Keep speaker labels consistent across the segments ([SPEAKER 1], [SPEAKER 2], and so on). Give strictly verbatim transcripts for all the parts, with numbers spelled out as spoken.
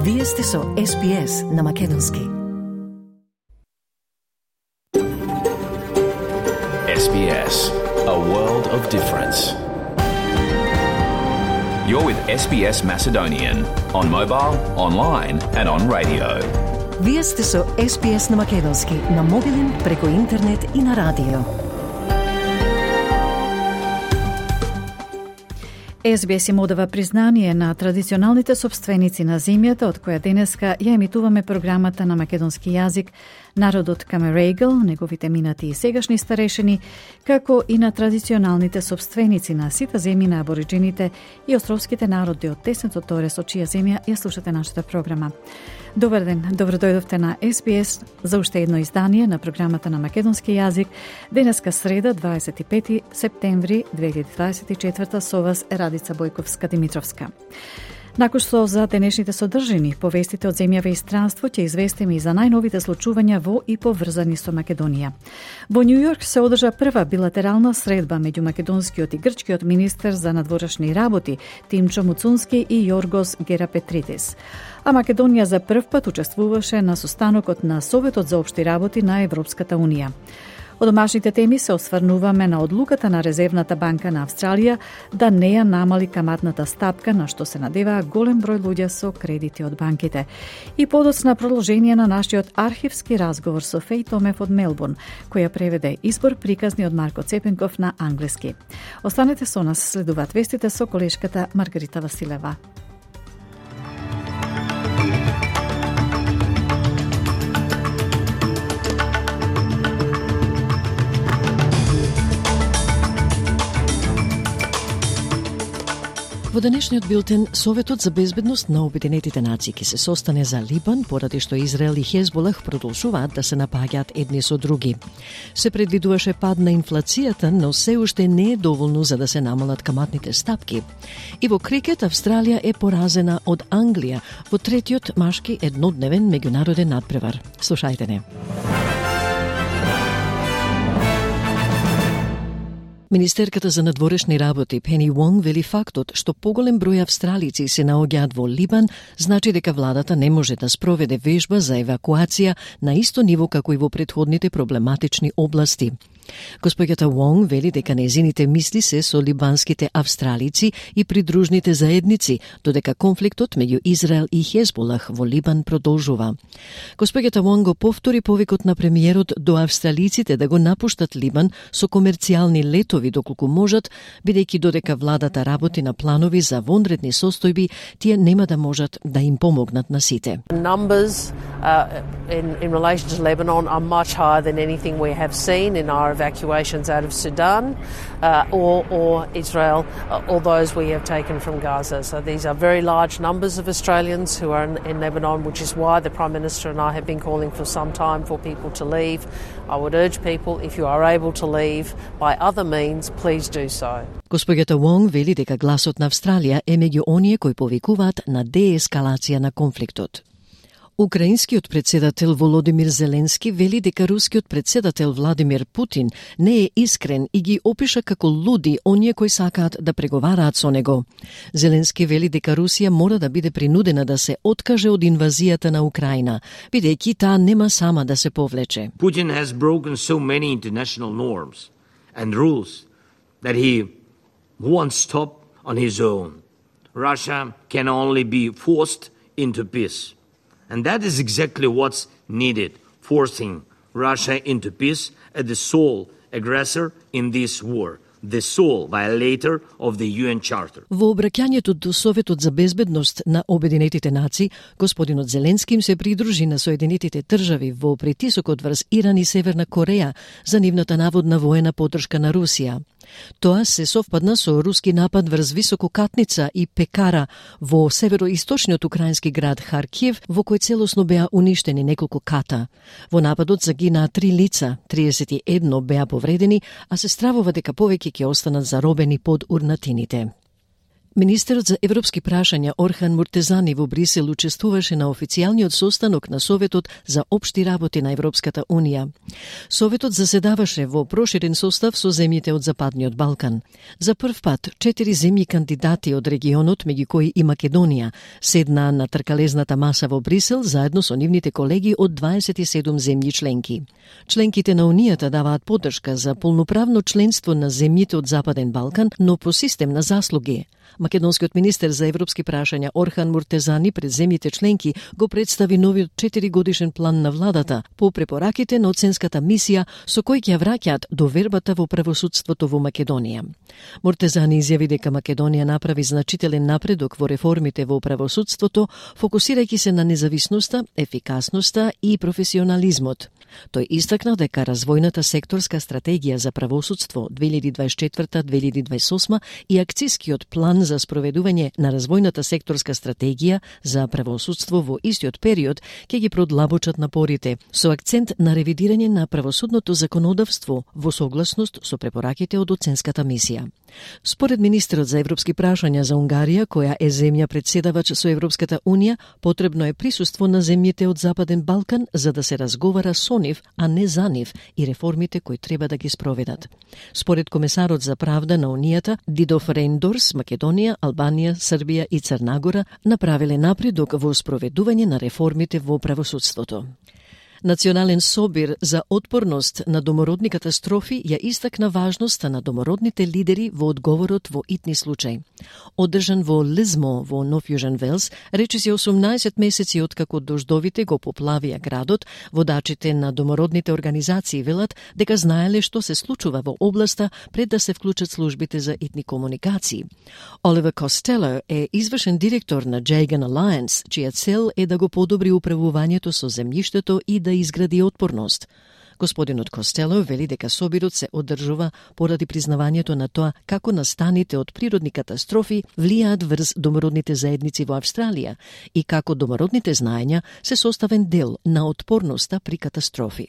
[SPEAKER 1] Вие сте со Ес Би Ес на Македонски.
[SPEAKER 2] Ес Би Ес, a world of difference. You're with Ес Би Ес Macedonian on mobile, online and on radio.
[SPEAKER 1] Вие сте со Ес Би Ес на Македонски, на мобилен, преку интернет и на радио. Ес Би Ес им одава признание на традиционалните сопственици на земјата, од која денеска ја емитуваме програмата на македонски јазик, народот Камерегл, неговите минати и сегашни старешини, како и на традиционалните сопственици на сите земји на абориджините и островските народи од тесното торе со чија земја ја слушате нашата програма. Добар ден, добро дојдовте на Ес Би Ес за уште едно издание на програмата на македонски јазик. Денеска среда, дваесет и пети септември две илјади дваесет и четврта, со вас е Радица Бојковска-Димитровска. Накој што за денешните содржини, повестите од земјава и странство, ќе известиме и за најновите случувања во и поврзани со Македонија. Во Њу Јорк се одржа прва билатерална средба меѓу македонскиот и грчкиот министер за надворешни работи Тимчо Муцунски и Јоргос Герапетридис. А Македонија за прв пат учествуваше на состанокот на Советот за општи работи на Европската унија. Од домашните теми се осврнуваме на одлуката на Резервната банка на Австралија да не ја намали каматната стапка, на што се надеваа голем број луѓе со кредити од банките. И подоцна продолжение на нашиот архивски разговор со Феј Томев од Мелбурн, која преведе избор приказни од Марко Цепенков на англиски. Останете со нас, следуваат вестите со колешката Маргарита Василева.
[SPEAKER 3] Во денешниот билтен, Советот за безбедност на Обединетите нации ќе се состане за Либан, поради што Израел и Хезболах продолжуваат да се напаѓаат едни со други. Се предвидуваше пад на инфлацијата, но се уште не е доволно за да се намалат каматните стапки. И во крикет, Австралија е поразена од Англија во третиот машки еднодневен меѓународен надпревар. Слушајте не. Министерката за надворешни работи Пени Вонг вели фактот што поголем број австралици се наоѓаат во Либан значи дека владата не може да спроведе вежба за евакуација на исто ниво како и во претходните проблематични области. Госпоѓата Вонг вели дека незините мисли се со либанските австралици и придружните заедници, додека конфликтот меѓу Израел и Хезболах во Либан продолжува. Госпоѓата Вонг го повтори повикот на премиерот до австралиците да го напуштат Либан со комерцијални летови доколку можат, бидејќи додека владата работи на планови за вонредни состојби, тие нема да можат да им помогнат на сите.
[SPEAKER 4] Numbers uh, in, in relation to Lebanon are much higher than anything we have seen in our evacuations out of Sudan uh, or, or Israel, uh, or those we have taken from Gaza. So these are very large numbers of Australians who are in, in Lebanon, which is why the Prime Minister and I have been calling for some time for people to leave. I would urge people, if you are able to leave by other means, please do so.
[SPEAKER 3] Госпоѓата Вонг вели дека гласот на Австралија е меѓу оние кои повикуваат на деескалација на конфликтот. Украинскиот председател Володимир Зеленски вели дека рускиот председател Владимир Путин не е искрен и ги опиша како луди оние кои сакаат да преговараат со него. Зеленски вели дека Русија мора да биде принудена да се откаже од инвазијата на Украина, бидејќи таа нема сама да се повлече.
[SPEAKER 5] Putin has broken so many international norms and rules that he won't stop on his own. Russia can only be forced into peace. And that is exactly what's needed, forcing Russia into peace as the sole aggressor in this war, the sole violator of the ю ен Charter.
[SPEAKER 3] Во обраќањето до Советот за безбедност на Обединетите нации, господинот Зеленски им се придружи на Соединетите држави во притисокот врз Иран и Северна Кореја за нивната наводна воена поддршка на Русија. Тоа се совпадна со руски напад врз Висококатница и Пекара во североисточниот украински град Харкиев, во кој целосно беа уништени неколку ката. Во нападот загинаа три лица, триесет и едно беа повредени, а се стравува дека повеќе ќе останат заробени под урнатините. Министерот за европски прашања Орхан Муртезани во Брисел учествуваше на официјалниот состанок на Советот за општи работи на Европската Унија. Советот заседаваше во проширен состав со земјите од Западниот Балкан. За прв пат, четири земји кандидати од регионот, меѓу кои и Македонија, седнаа на тркалезната маса во Брисел заедно со нивните колеги од дваесет и седум земји членки. Членките на Унијата даваат поддршка за полноправно членство на земјите од Западен Балкан, но по систем на заслуги. Македонскиот министер за европски прашања Орхан Муртезани пред земјите членки го представи новиот четиригодишен план на владата по препораките на оценската мисија со кој ќе враќаат довербата во правосудството во Македонија. Муртезани изјави дека Македонија направи значителен напредок во реформите во правосудството, фокусирајќи се на независноста, ефикасноста и професионализмот. Тој истакна дека развојната секторска стратегија за правосудство две илјади дваесет и четврта до две илјади дваесет и осма и акцискиот план за спроведување на развојната секторска стратегија за правосудство во истиот период ќе ги продлабочат напорите, со акцент на ревидирање на правосудното законодавство во согласност со препораките од оценската мисија. Според министерот за европски прашања за Унгарија, која е земја председавач со Европската Унија, потребно е присуство на земјите од Западен Балкан за да се разговара со нив, а не за нив и реформите кои треба да ги спроведат. Според комесарот за правда на Унијата, Дидов Рейндорс, Македонија, Албанија, Србија и Црнагора направиле напредок во спроведување на реформите во правосудството. Национален собир за отпорност на домородни катастрофи ја истакна важноста на домородните лидери во одговорот во итни случаи. Одржан во Лизмо во Нов Јужен Велс, речиси осумнаесет месеци откако дождовите го поплавија градот, водачите на домородните организации велат дека знаеле што се случува во областа пред да се вклучат службите за итни комуникации. Оливер Костело е извршен директор на Jagan Alliance, чија цел е да го подобри управувањето со земјиштето и да изгради отпорност. Господинот Костело вели дека собирот се одржува поради признавањето на тоа како настаните од природни катастрофи влијаат врз домородните заедници во Австралија и како домородните знаења се составен дел на отпорноста при катастрофи.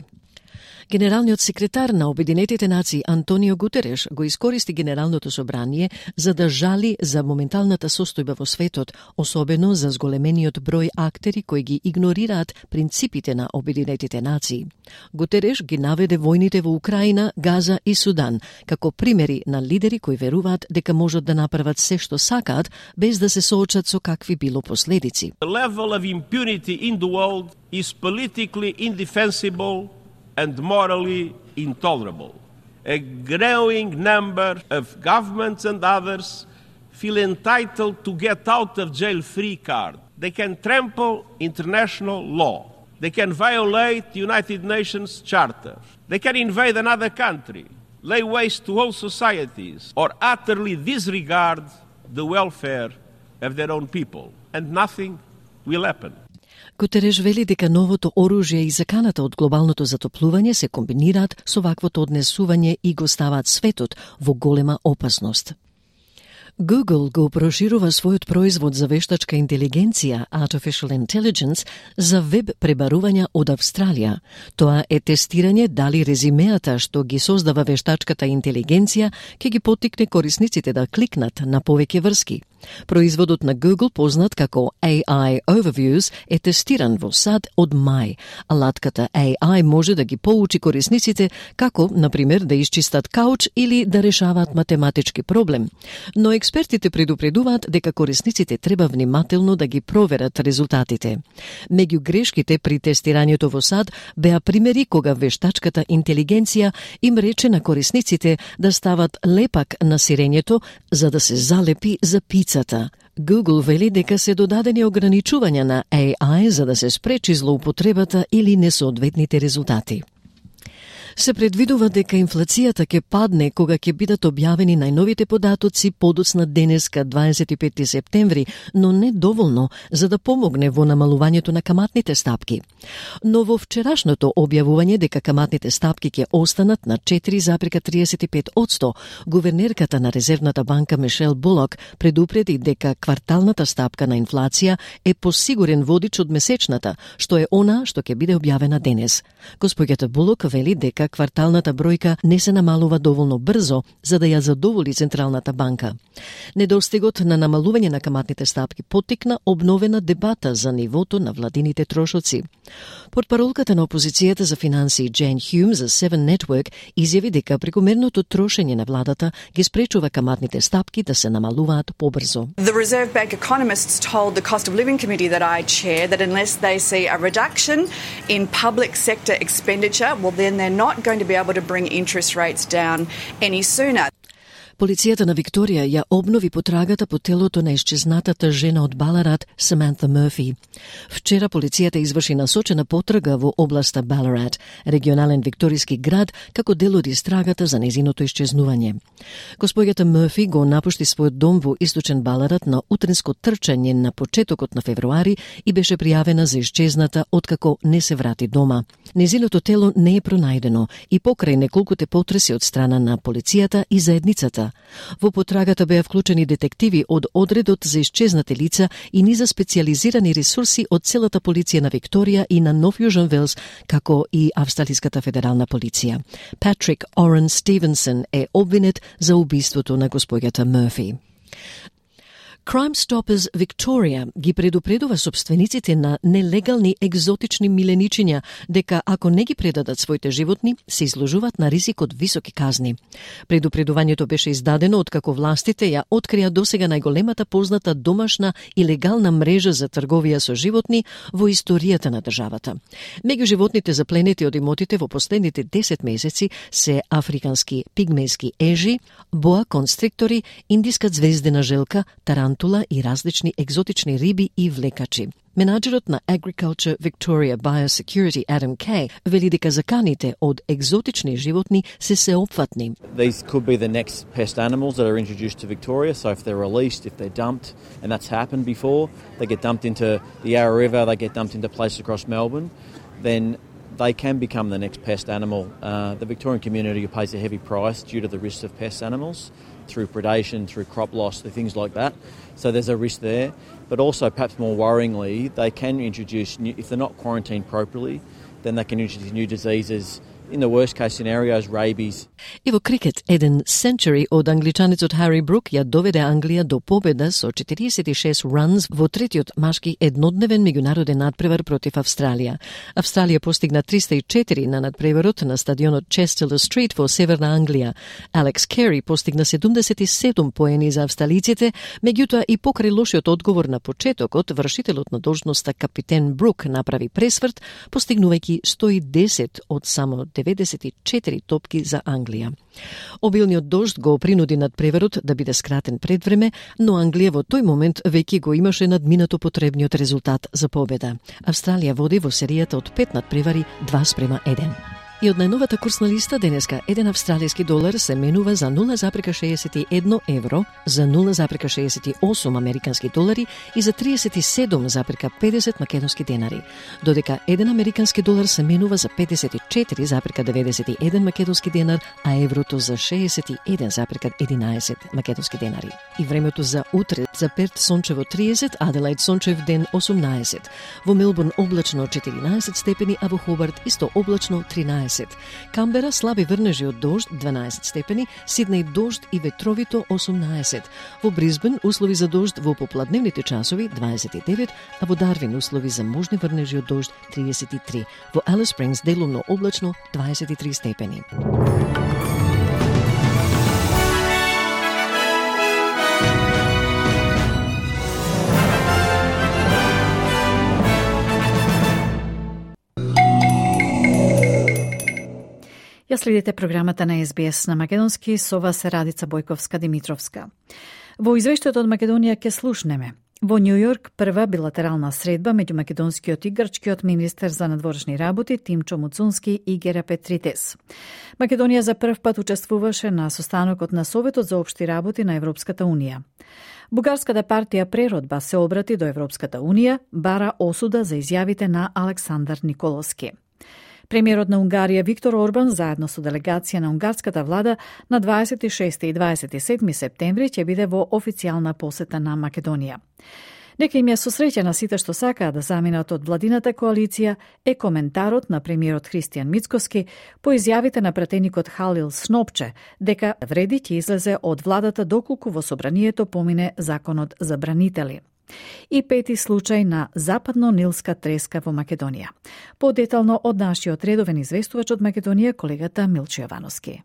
[SPEAKER 3] Генералниот секретар на Обединетите нации Антонио Гутереш го искористи Генералното собрание за да жали за моменталната состојба во светот, особено за зголемениот број актери кои ги игнорираат принципите на Обединетите нации. Гутереш ги наведе војните во Украина, Газа и Судан како примери на лидери кои веруваат дека можат да направат се што сакаат без да се соочат со какви било последици.
[SPEAKER 6] The level of impunity in the world is politically indefensible and morally intolerable. A growing number of governments and others feel entitled to get out of jail free card. They can trample international law. They can violate the United Nations Charter. They can invade another country, lay waste to whole societies, or utterly disregard the welfare of their own people. And nothing will happen.
[SPEAKER 3] Гутереш вели дека новото оружје и заканата од глобалното затоплување се комбинираат со ваквото однесување и го ставаат светот во голема опасност. Google го проширува својот производ за вештачка интелигенција, Artificial Intelligence, за веб пребарувања од Австралија. Тоа е тестирање дали резимеата што ги создава вештачката интелигенција ќе ги поттикне корисниците да кликнат на повеќе врски. Производот на Google, познат како A I Overviews, е тестиран во САД од мај. Алатката A I може да ги поучи корисниците како, например, да исчистат кауч или да решаваат математички проблем. Но експертите предупредуваат дека корисниците треба внимателно да ги проверат резултатите. Меѓу грешките при тестирањето во САД беа примери кога вештачката интелигенција им рече на корисниците да стават лепак на сирењето за да се залепи за пица. Google вели дека се додадени ограничувања на A I за да се спречи злоупотребата или несоодветните резултати. Се предвидува дека инфлацијата ќе падне кога ќе бидат објавени најновите податоци подоцна денеска дваесет и пети септември, но не доволно за да помогне во намалувањето на каматните стапки. Но во вчерашното објавување дека каматните стапки ќе останат на четири зарез триесет и пет одсто, гувернерката на Резервната банка Мишел Булок предупреди дека кварталната стапка на инфлација е посигурен водич од месечната, што е она што ќе биде објавена денес. Господјата Булок вели дека дека кварталната бројка не се намалува доволно брзо за да ја задоволи Централната банка. Недостигот на намалување на каматните стапки поттикна обновена дебата за нивото на владините трошоци. Портпаролката на опозицијата за финансии Джейн Хюм за Seven Network изјави дека прекомерното трошење на владата ги спречува каматните стапки да се намалуваат побрзо.
[SPEAKER 7] The Reserve Bank economists told the Cost of Living Committee that I chair that unless they see a reduction in public sector expenditure, well then they're not going to be able to bring interest rates down any sooner.
[SPEAKER 3] Полицијата на Викторија ја обнови потрагата по телото на исчезнатата жена од Баларат, Саманта Мерфи. Вчера полицијата изврши насочена потрага во областа Баларат, регионален викториски град, како дел од истрагата за незиното исчезнување. Господјата Мерфи го напушти својот дом во источен Баларат на утринско трчање на почетокот на февруари и беше пријавена за исчезната откако не се врати дома. Незиното тело не е пронајдено и покрај неколкуте потреси од страна на полицијата и заедницата. Во потрагата беа вклучени детективи од одредот за исчезнати лица и низа специјализирани ресурси од целата полиција на Викторија и на Нов Јужен Велс, како и Австралиската федерална полиција. Патрик Орен Стивенсон е обвинет за убиството на господјата Мерфи. Crime Stoppers Victoria ги предупредува собствениците на нелегални екзотични миленичиња дека ако не ги предадат своите животни, се изложуваат на ризик од високи казни. Предупредувањето беше издадено откако властите ја открија досега најголемата позната домашна и легална мрежа за трговија со животни во историјата на државата. Меѓу животните запленети од имотите во последните десет месеци се африкански пигмејски ежи, боа констриктори, индиска звездена желка, тарантула и различни екзотични риби и влекачи. Менаџерот на Agriculture Victoria Biosecurity Adam Kay вели дека заканите од екзотични животни се сеопфатни.
[SPEAKER 8] These could be the next pest animals that are introduced to Victoria, so if they're released, if they're dumped, and that's happened before, they get dumped into the Yarra River, they get dumped into places across Melbourne, then they can become the next pest animal. Uh, the Victorian community pays a heavy price due to the risks of pest animals through predation, through crop loss, things like that. So there's a risk there. But also, perhaps more worryingly, they can introduce, new, if they're not quarantined properly, then they can introduce new diseases. In the worst case scenarios, rabies.
[SPEAKER 3] И во крикет, еден сенчури од англичанецот Хари Брук ја доведе Англија до победа со четириесет и шест ранс во третиот машки еднодневен меѓународен надпревар против Австралија. Австралија постигна триста и четири на надпреварот на стадионот Честелер Стрит во Северна Англија. Алекс Кери постигна седумдесет и седум поени за австралиците, меѓутоа и покрај лошиот одговор на почетокот, вршителот на должноста капитен Брук направи пресврт, постигнувајќи сто и десет од само деветдесет и четири топки за Англија. Обилниот дожд го принуди надпреварот да биде скратен пред време, но Англија во тој момент веќе го имаше надминато потребниот резултат за победа. Австралија води во серијата од пет надпревари два спрема еден. И од најновата курсна листа денеска еден австралиски долар се менува за нула запрека шеесет и едно евро, за нула запрека шеесет и осум американски долари и за триесет и седум запрека педесет македонски денари, додека еден американски долар се менува за педесет и четири запрека деветдесет и еден македонски денар, а еврото за шеесет и еден запрека единаесет македонски денари. И времето за утре: за Перт сончево триесет, Аделаид сончев ден осумнаесет, во Мелбурн облачно четиринаесет степени, а во Хобарт исто облачно тринаесет. Камбера слаби врнежи од дожд дванаесет степени, Сиднеј дожд и ветровито осумнаесет. Во Брисбен услови за дожд во попладневните часови дваесет и девет, а во Дарвин услови за можни врнежи од дожд триесет и три. Во Алис Спрингс делумно облачно дваесет и три степени.
[SPEAKER 1] Ја следите програмата на Ес Би Ес на македонски, со вас е Радица Бојковска-Димитровска. Во извештајот од Македонија ќе слушнеме: во Њу Јорк прва билатерална средба меѓу македонскиот и грчкиот министер за надворешни работи Тимчо Муцунски и Гера Петритес. Македонија за прв пат учествуваше на состанокот на Советот за општи работи на Европската унија. Бугарската партија Преродба се обрати до Европската унија, бара осуда за изјавите на Александар Николовски. Премиерот на Унгарија Виктор Орбан заедно со делегација на унгарската влада на дваесет и шести и дваесет и седми септември ќе биде во официјална посета на Македонија. Дека им ја сосреќа на сите што сакаат да заминат од владината коалиција е коментарот на премиерот Христијан Мицкоски по изјавите на пратеникот Халил Снопче дека вреди ќе излезе од владата доколку во собранието помине законот за бранители. И пети случај на западно-нилска треска во Македонија. Подетално од нашиот редовен известувач од Македонија, колегата Милчо Јовановски.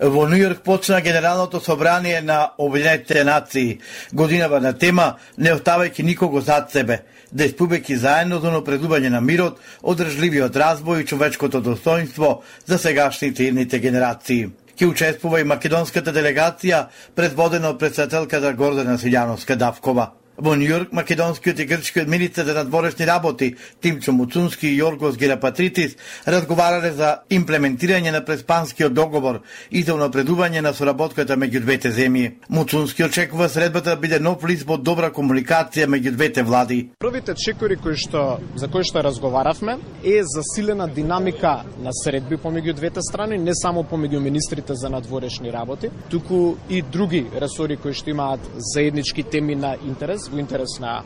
[SPEAKER 9] Во Нью Йорк почна Генералното собрание на Обединетите нации. Годинава на тема не оставајќи никого зад себе, да испубејќи заедно за напредување на мирот, одржливиот разбој и човечкото достоинство за сегашните и идните генерации. Ке учествува и македонската делегација, предводена од председателката Гордана Силјановска-Давкова. Во Нью Йорк, македонскиот и грчкиот министер за надворешни работи Тимчо Муцунски и Јоргос Герапатритис разговарале за имплементирање на преспанскиот договор и за унапредување на соработката меѓу двете земји. Муцунски очекува средбата да биде нов лист во добра комуникација меѓу двете влади.
[SPEAKER 10] Првите чекори кои што за кои што разговаравме е засилена динамика на средби помеѓу двете страни, не само помеѓу министрите за надворешни работи, туку и други ресори кои што имаат заеднички теми на интерес во интерес на,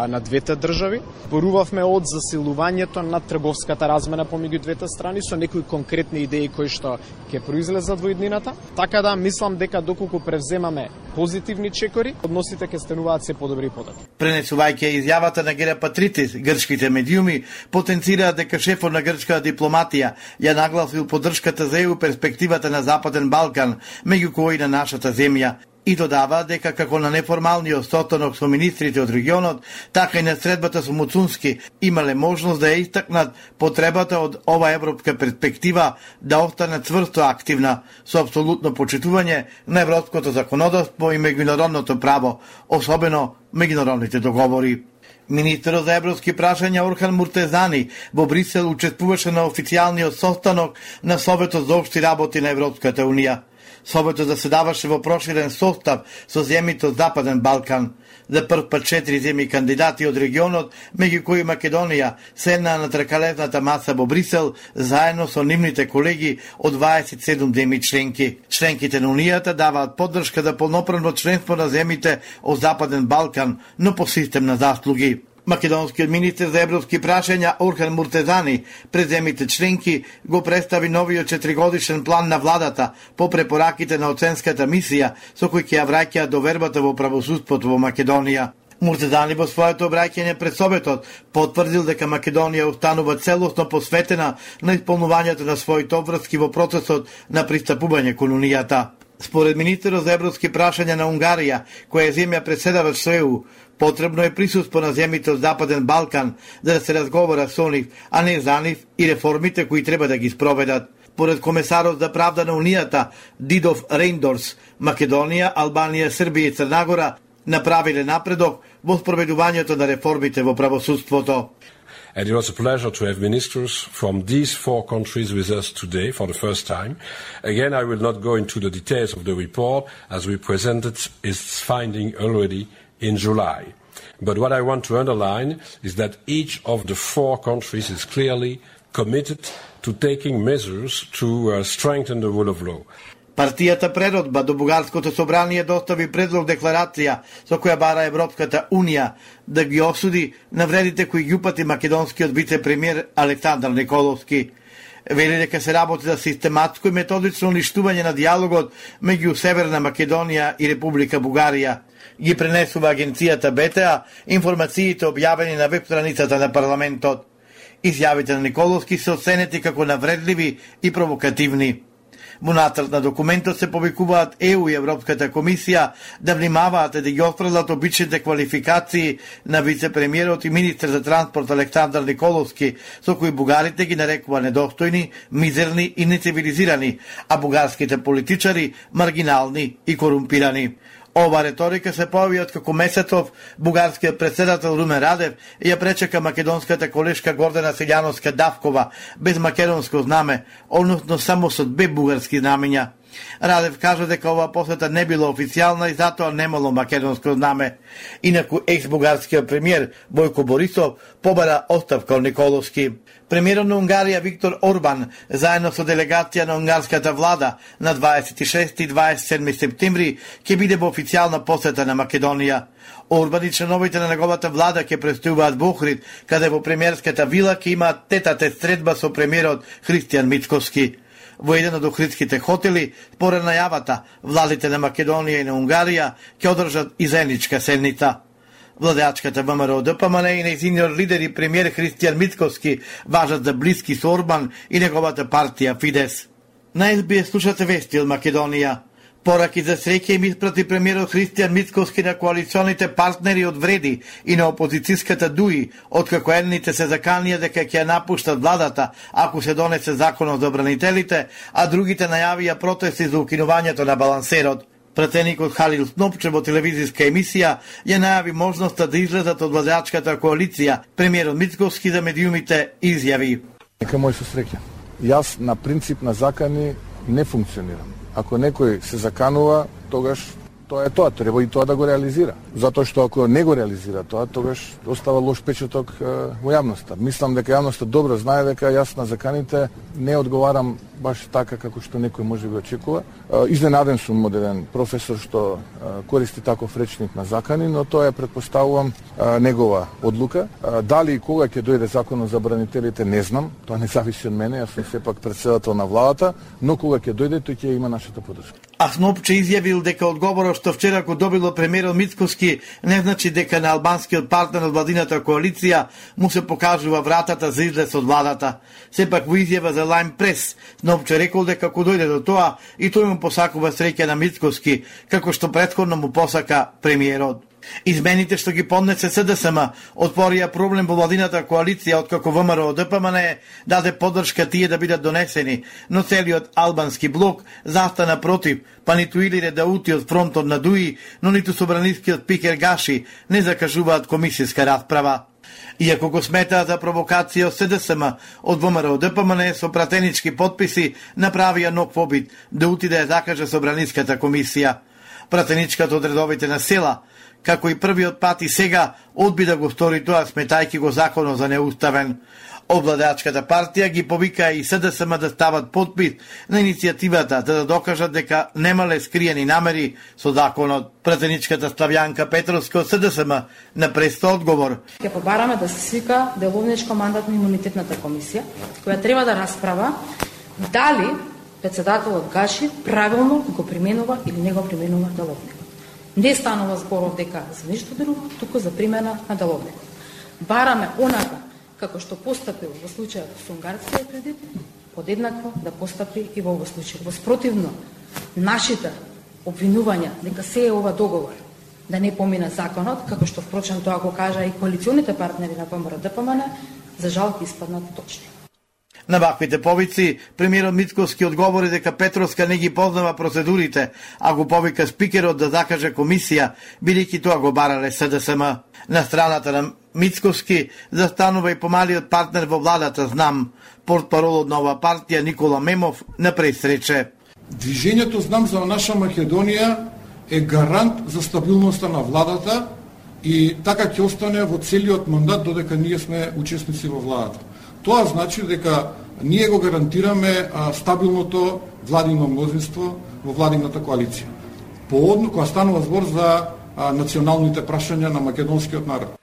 [SPEAKER 10] на двете држави. Порувавме од засилувањето на трговската размена помеѓу двете страни со некои конкретни идеи кои што ќе произлезат во иднината. Така да мислам дека доколку превземаме позитивни чекори, односите ќе стануваат се подобри и подобри.
[SPEAKER 9] Пренесувајќи изјавата на Герапатритис, грчките медиуми потенцираат дека шефот на грчката дипломатија ја нагласил поддршката за Е У перспективата на Западен Балкан, меѓу кои на нашата земја. И додава дека како на неформалниот состанок со министрите од регионот, така и на средбата со Муцунски имале можност да ја истакнат потребата од ова европска перспектива да остане цврсто активна, со апсолутно почитување на европското законодавство и меѓународното право, особено меѓународните договори. Министерот за европски прашања Орхан Муртезани во Брисел учествуваше на официјалниот состанок на Советот за општи работи на Европската унија. Советот заседаваше во проширен состав со земјите од Западен Балкан. За прв пат четири земји кандидати од регионот, меѓу кои Македонија, седнаа на тркалезната маса во Брисел, заедно со нивните колеги од дваесет и седум земји членки. Членките на Унијата даваат поддршка за полноправно членство на земјите од Западен Балкан, но по систем на заслуги. Македонскиот министер за европски прашања Орхан Муртезани пред земјите членки го представи новиот четиригодишен план на владата по препораките на оценската мисија со кој ќе ја враќаат довербата во правосудството во Македонија. Муртезани во своето обраќање пред Советот потврдил дека Македонија останува целосно посветена на исполнувањето на своите обврски во процесот на пристапување кон Унијата. Според министерот за европски прашања на Унгарија, која е земја преседавач со Е У, потребно е присуство на земјите од Западен Балкан за да се разговара со нив, а не за нив и реформите кои треба да ги спроведат. Поред комесарот за правда на Унијата Дидов Рейндорс, Македонија, Албанија, Србија и Црна Гора направиле напредок во спроведувањето на реформите во правосудството.
[SPEAKER 11] And it was a pleasure to have ministers from these four countries with us today for the first time. Again, I will not go into the details of the report as we presented its finding already in July. But what I want to underline is that each of the four countries is clearly committed to taking measures to uh, strengthen the rule of law.
[SPEAKER 9] Партијата Преродба до Бугарското собрание достави предлог декларација со која бара Европската унија да ги осуди навредите кои ги упати македонскиот вице-премиер Александар Николовски. Вели дека се работи за систематско и методично уништување на диалогот меѓу Северна Македонија и Република Бугарија. Ги пренесува агенцијата Б Т А информациите објавени на веб страницата на парламентот. Изјавите на Николовски се оценети како навредливи и провокативни. Во нацрт на документот се повикуваат Е У и Европската комисија да внимаваат да ги отфрлат обичните квалификации на вице-премиерот и министер за транспорт Александар Николовски, со кои бугарите ги нарекува недостојни, мизерни и нецивилизирани, а бугарските политичари маргинални и корумпирани. Ова реторика се појави од како месецов бугарскиот председател Румен Радев ја пречека македонската колешка Гордана Силјановска-Давкова без македонско знаме, односно само со две бугарски знамења. Радев кажа дека оваа посета не била официјална и затоа немало македонско знаме. Инаку екс-бугарскиот премиер Бојко Борисов побара оставка од Николовски. Премиерот на Унгарија Виктор Орбан заедно со делегација на унгарската влада на дваесет и шести и дваесет и седми септември ќе биде во официјална посета на Македонија. Орбан и членовите на неговата влада ќе престојуваат во Охрид, каде во премиерската вила ќе имаат тет-а-тет средба со премиерот Христијан Мицкоски. Во еден од охридските хотели, според најавата, владите на Македонија и на Унгарија ќе одржат и заедничка седница. Владеачката ВМРО Д П М Н и нејзиниот лидер и премиер Христијан Мицкоски важат за блиски со Орбан и неговата партија Фидес. На Ес Би Ес слушате вести од Македонија. Пораки за среќа им испрати премиерот Христијан Мицкоски на коалиционите партнери од Вреди и на опозицијската ДУИ, откако едните се заканија дека ќе ја напуштат владата ако се донесе законот за бранителите, а другите најавија протести за укинувањето на балансерот. Пратеникот Халил Снопче во телевизиска емисија ја најави можноста да излезат од владеачката коалиција. Премиерот Мицкоски за медиумите изјави:
[SPEAKER 12] Нека мој со среќа. Јас на принцип на закани не функционирам. Ако некој се заканува, тогаш тоа е тоа, треба и тоа да го реализира. Затоа што ако не го реализира тоа, тогаш остава лош печаток во јавноста. Мислам дека јавноста добро знае дека јас на заканите не одговарам баш така како што некој може би очекува. Изненаден сум од еден професор што користи таков речник на закани, но тоа е, предпоставувам, негова одлука. Дали и кога ќе дојде законот за бранителите, не знам. Тоа не зависи од мене, јас сум сепак претседател на владата, но кога ќе дојде, тој ќе има нашата подршка.
[SPEAKER 9] А Снопче изјавил дека одговорот што вчера го добило премиерот Мицкоски не значи дека на албанскиот партнер од владината коалиција му се покажува вратата за излез од владата. Сепак во изјава за Лајм Прес, Снопче рекол дека ако дојде до тоа, и тој му посакува среќа на Мицкоски, како што претходно му посака премиерот. Измените што ги поднесе С Д С М отворија проблем во владината коалиција, откако В М Р Д П М Н даде поддршка тие да бидат донесени, но целиот албански блок застана против, па ниту Илире Даути од фронтот на ДУИ, но ниту собранискиот Пикер Гаши не закажуваат комисијска расправа. Иако го сметаат за провокација од С Д С М, од В М Р Д П М Н со пратенички подписи направија нов обид да ути да ја закаже собраниската комисија. Пратеничката од редовите на села, како и првиот пат и сега, одби да го стори тоа, сметајки го законот за неуставен. Обладачката партија ги повика и С Д С М да стават подпис на иницијативата за да докажат дека немале скриени намери со законот. Пратеничката Славјанка Петровска од С Д С М на преста одговор:
[SPEAKER 13] Ќе побараме да се свика деловничко мандатно имунитетната комисија, која треба да расправа дали председателот Гаши правилно го применува или не го применува деловникот. Не станува зборот дека за ништо друго, туку за примена на деловникот. Бараме онака како што постапил во случајот со унгарскиот кредит, подеднакво да постапи и во овој случај. Воспротивно, нашите обвинувања дека се е ова договор да не помина законот, како што впрочем тоа го кажа и коалиционите партнери на В М Р Д П М Н, за жал ќе испаднат точни.
[SPEAKER 9] На ваквите повици, премиерот Мицкоски одговори дека Петровска не ги познава процедурите, а го повика спикерот да закаже комисија, бидејќи тоа го барале С Д С М. На страната на Мицкоски застанува и помалиот партнер во владата Знам, портпаролот на оваа партија Никола Мемов на пресрече:
[SPEAKER 14] Движењето Знам за наша Македонија е гарант за стабилноста на владата и така ќе остане во целиот мандат додека ние сме учесници во владата. Тоа значи дека ние го гарантираме а, стабилното владино мнозинство во владината коалиција. Поодно кога станува збор за а, националните прашања на македонскиот народ.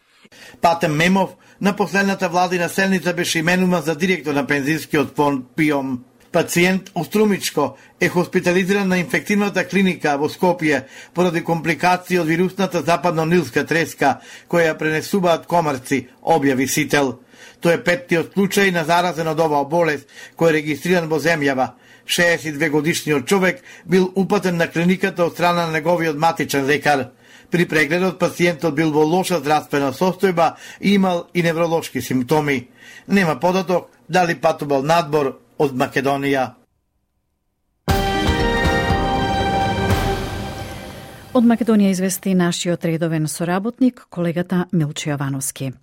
[SPEAKER 9] Патем Мемов на последната владина седница беше именуван за директор на пензискиот фонд ПИОМ. Пациент Острумичко е хоспитализиран на инфективната клиника во Скопје поради компликации од вирусната западно-нилска треска, која ја пренесуваат комарци, објави Сител. Тој е петтиот случај на заразен од оваа болест, кој е регистриран во земјава. шеесет и две годишниот човек бил упатен на клиниката од страна на неговиот матичен лекар. При прегледот пациентот бил во лоша здравствена состојба и имал и невролошки симптоми. Нема податок дали патувал надбор од Македонија.
[SPEAKER 1] Од Македонија извести нашиот редовен соработник, колегата Милчо Јовановски.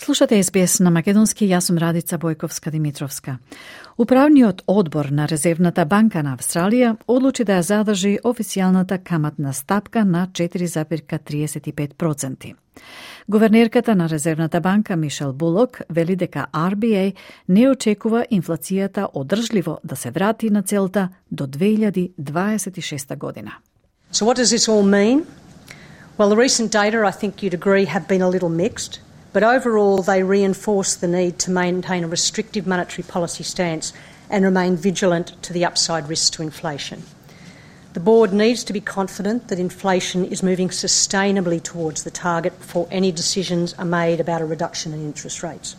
[SPEAKER 1] Слушате Ес Би Ес на македонски, јас сум Радица Бојковска-Димитровска. Управниот одбор на Резервната банка на Австралија одлучи да ја задржи официјалната каматна стапка на четири зарез триесет и пет проценти. Гувернерката на Резервната банка Мишел Булок вели дека Ар Би Ей не очекува инфлацијата одржливо да се врати на целта до две илјади дваесет и шеста година.
[SPEAKER 15] So what does this all mean? Well, the recent data, I think you'd agree, have been a little mixed, but overall they reinforce the need to maintain a restrictive monetary policy stance and remain vigilant to the upside risks to inflation. The board needs to be confident that inflation is moving sustainably towards the target before any decisions are made about a reduction in interest rates.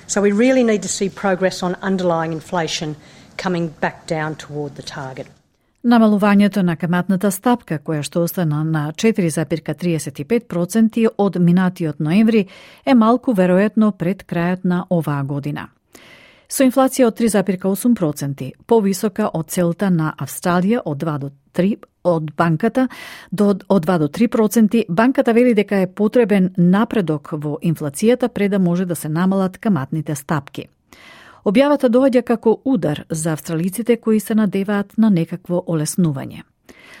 [SPEAKER 15] So we really need to see progress on underlying inflation coming back down toward the target.
[SPEAKER 1] Намалувањето на каматната стапка, која што остана на четири зарез триесет и пет проценти од минатиот ноември, е малку веројатно пред крајот на оваа година. Со инфлација од три зарез осум проценти, повисока од целта на Австралија од два до три од банката до од два до три проценти, банката вели дека е потребен напредок во инфлацијата пред да може да се намалат каматните стапки. Објавата доаѓа како удар за австралиците кои се надеваат на некакво олеснување.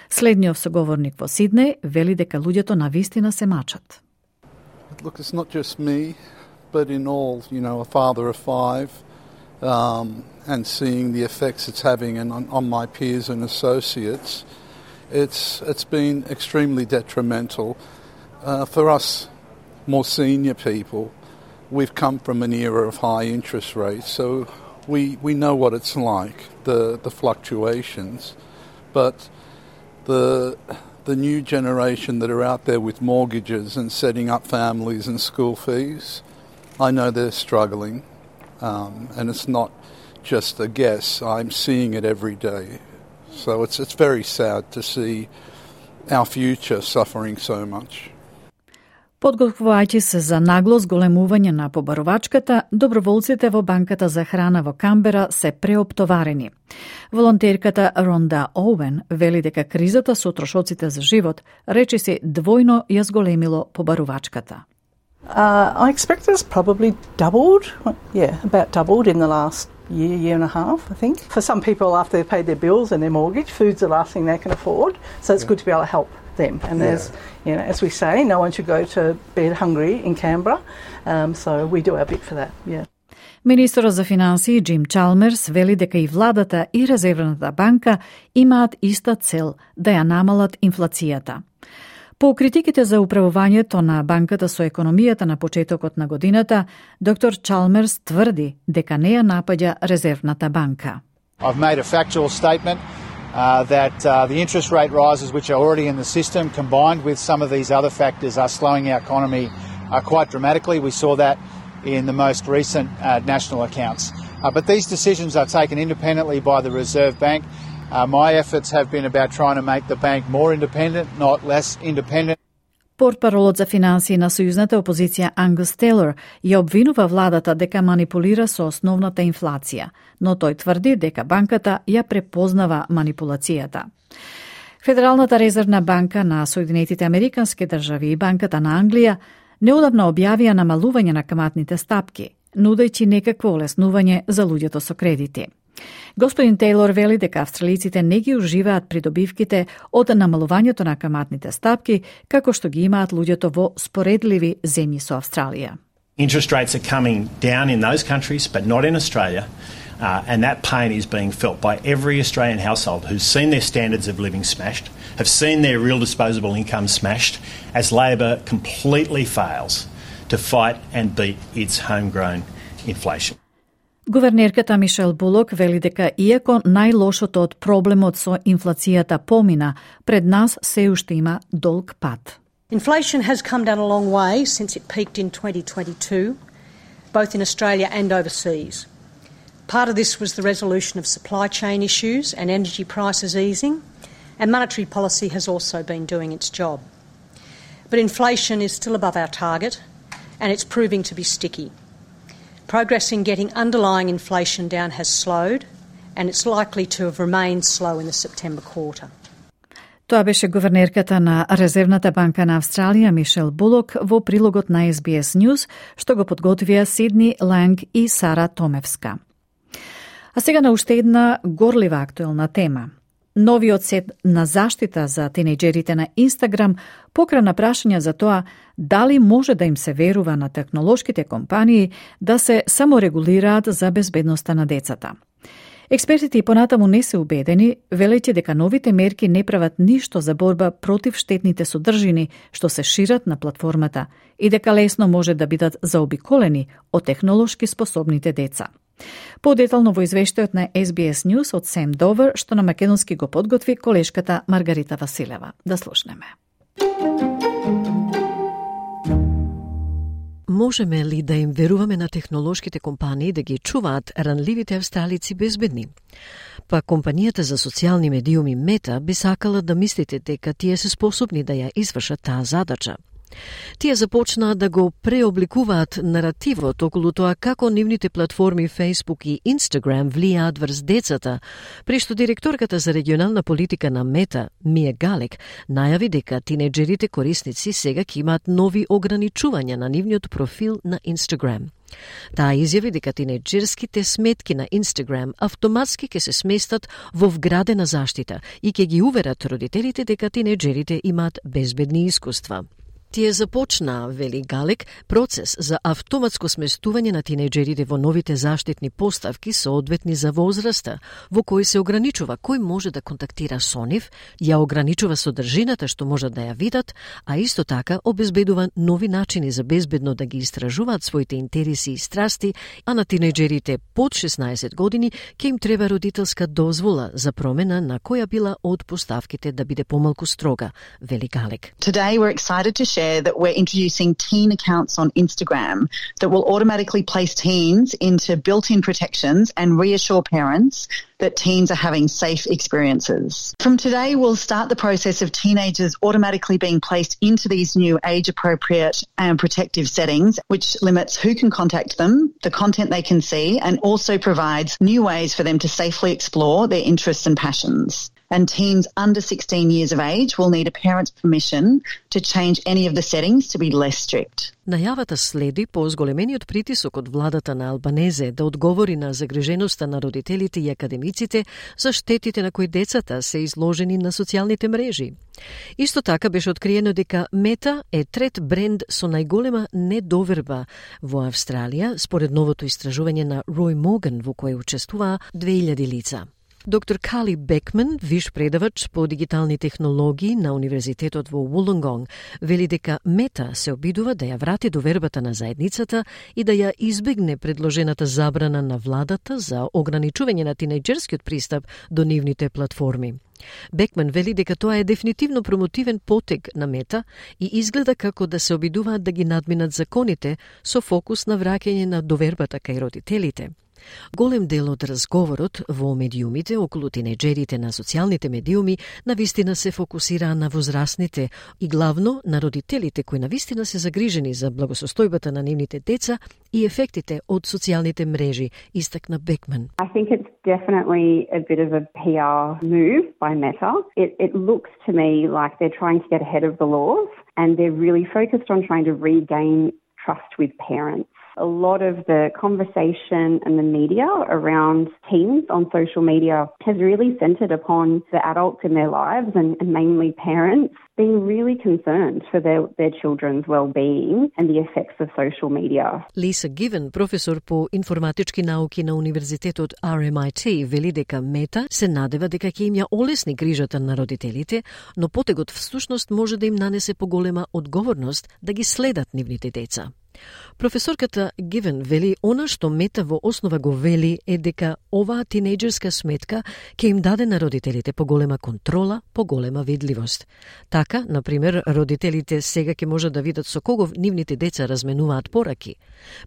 [SPEAKER 1] Следниот соговорник во Сиднеј вели дека луѓето навистина се мачат.
[SPEAKER 16] Look, it's not just me, but in all, you know, a father of five, um, and seeing the effects it's having on, on my peers and associates, it's it's been extremely detrimental uh, for us more senior people. We've come from an era of high interest rates, so we we know what it's like, the the fluctuations. But the the new generation that are out there with mortgages and setting up families and school fees, I know they're struggling, um, and it's not just a guess. I'm seeing it every day. So it's it's very sad to see our future suffering so much.
[SPEAKER 1] Подготвувајќи се за нагло зголемување на побарувачката, доброволците во банката за храна во Камбера се преоптоварени. Волонтерката Ронда Оуен вели дека кризата со трошоците за живот речиси двојно ја зголемило побарувачката.
[SPEAKER 17] Uh, I expect it's probably doubled, yeah, about doubled in the last year, year and a half, I think. For some people, after they've paid their bills and their mortgage, food's the last thing they can afford, so it's yeah. good to be able to help them. And yeah. there's, you know, as we say, no one should go to bed hungry in Canberra, um, so we do our bit for that, yeah.
[SPEAKER 1] Министерот за финансии Джим Чалмерс вели дека и владата и Резервната банка имаат иста цел да ја намалат инфлацијата. По критиките за управувањето на банката со економијата на почетокот на годината, доктор Чалмерс тврди дека не ја напаѓа Резервната банка.
[SPEAKER 18] I've made a factual statement uh, that uh, the interest rate rises which are already in the system combined with some of these other factors are slowing our economy uh, quite dramatically. We saw that in the most recent uh, national accounts. Uh, but these decisions are taken independently by the Reserve Bank. Uh, my efforts have been about trying to make the bank more independent, not less independent.
[SPEAKER 1] Портпаролот за финансии на сојузната опозиција Ангус Тейлор ја обвинува владата дека манипулира со основната инфлација, но тој тврди дека банката ја препознава манипулацијата. Федералната резервна банка на Соединетите Американски држави и банката на Англија неодамна објавија намалување на каматните стапки, нудејќи некакво олеснување за луѓето со кредити. Господин Тейлор вели дека австралиците не ги уживаат придобивките од намалувањето на каматните стапки, како што ги имаат луѓето во споредливи земји со Австралија.
[SPEAKER 19] Interest rates are coming down in those countries, but not in Australia, uh, and that pain is being felt by every Australian household who's seen their standards of living smashed, have seen their real disposable income smashed, as Labor completely fails to fight and beat its homegrown inflation.
[SPEAKER 1] Гувернерката Мишел Булок вели дека иако најлошото од проблемот со инфлацијата помина, пред нас се уште има долг пат.
[SPEAKER 15] Inflation has come down a long way since it peaked in twenty twenty-two, both in Australia and overseas. Part of this was the resolution of supply chain issues and energy prices easing, and monetary policy has also been doing its job. But inflation is still above our target, and it's proving to be sticky. Progress in getting underlying inflation down has slowed, and it's likely to have remained slow in the September quarter.
[SPEAKER 1] Тоа беше гувернерката на Резервната банка на Австралија Мишел Булок во прилогот на Ес Би Ес News, што го подготвија Сидни Ланг и Сара Томевска. А сега на уште една горлива актуелна тема. Новиот сет на заштита за тинејџерите на Инстаграм покрана прашања за тоа дали може да им се верува на технолошките компании да се саморегулираат за безбедноста на децата. Експертите и понатаму не се убедени, велејќи дека новите мерки не прават ништо за борба против штетните содржини што се шират на платформата и дека лесно може да бидат заобиколени од технолошки способните деца. Подетално во извештајот на Ес Би Ес News од Сем Довер, што на македонски го подготви колешката Маргарита Василева. Да слушнеме.
[SPEAKER 3] Можеме ли да им веруваме на технолошките компании да ги чуваат ранливите австралици безбедни? Па компанијата за социјални медиуми Мета би сакала да мислите дека тие се способни да ја извршат таа задача. Тие започнаа да го преобликуваат наративот околу тоа како нивните платформи Facebook и Instagram влијаат врз децата, при што директорката за регионална политика на Мета, Мија Галек, најави дека тинејџерите корисници сега ќе имаат нови ограничувања на нивниот профил на Instagram. Таа изјави дека тинејџерските сметки на Instagram автоматски ќе се сместат во вградена заштита и ќе ги уверат родителите дека тинејџерите имаат безбедни искуства. Тие започнаа, вели Галек, процес за автоматско сместување на тинејџерите во новите заштитни поставки соодветни за возраста, во кој се ограничува кој може да контактира со нив, ја ограничува содржината што можат да ја видат, а исто така обезбедува нови начини за безбедно да ги истражуваат своите интереси и страсти, а на тинејџерите под шеснаесет години ќе им треба родителска дозвола за промена на која била од поставките да биде помалку строга, вели Галек.
[SPEAKER 20] Today we're excited to share that we're introducing teen accounts on Instagram that will automatically place teens into built-in protections and reassure parents that teens are having safe experiences. From today, we'll start the process of teenagers automatically being placed into these new age-appropriate and protective settings, which limits who can contact them, the content they can see, and also provides new ways for them to safely explore their interests and passions. And teens under sixteen years of age will need a parent's permission to change any of the settings to be less strict.
[SPEAKER 3] Најавата следи по зголемениот притисок од владата на Албанезе да одговори на загриженоста на родителите и академиците за штетите на кои децата се изложени на социјалните мрежи. Исто така беше откриено дека Мета е трет бренд со најголема недоверба во Австралија, според новото истражување на Рој Моган во кое учествуваа две илјади лица. Доктор Кали Бекман, виш предавач по дигитални технологии на Универзитетот во Вулонгонг, вели дека Мета се обидува да ја врати довербата на заедницата и да ја избегне предложената забрана на владата за ограничување на тинејџерскиот пристап до нивните платформи. Бекман вели дека тоа е дефинитивно промотивен потег на Мета и изгледа како да се обидуваат да ги надминат законите со фокус на враќање на довербата кај родителите. Голем дел од разговорот во медиумите околу тинејџерите на социјалните медиуми навистина се фокусираа на возрастните и главно на родителите кои навистина се загрижени за благосостојбата на нивните деца и ефектите од социјалните мрежи, истакна Бекман.
[SPEAKER 21] I think it's definitely a bit of a P R move by Meta. It, it looks to me like they're trying to get ahead of the laws and they're really focused on trying to regain trust with parents. A lot of the conversation and the media around teens on social media has really centred upon the adults in their lives and, and mainly parents being really concerned for their, their children's well-being and the effects of social media.
[SPEAKER 3] Lisa Given, професор по информатички науки на Универзитетот Ар Ем I T, вели дека Мета се надева дека ќе им ја олесни грижата на родителите, но потегот всушност може да им нанесе поголема одговорност да ги следат нивните деца. Професорката Гивен вели она што Мета во основа го вели е дека оваа тинејџерска сметка ќе им даде на родителите поголема контрола, поголема видливост. Така, например, родителите сега ќе можат да видат со кого нивните деца разменуваат пораки.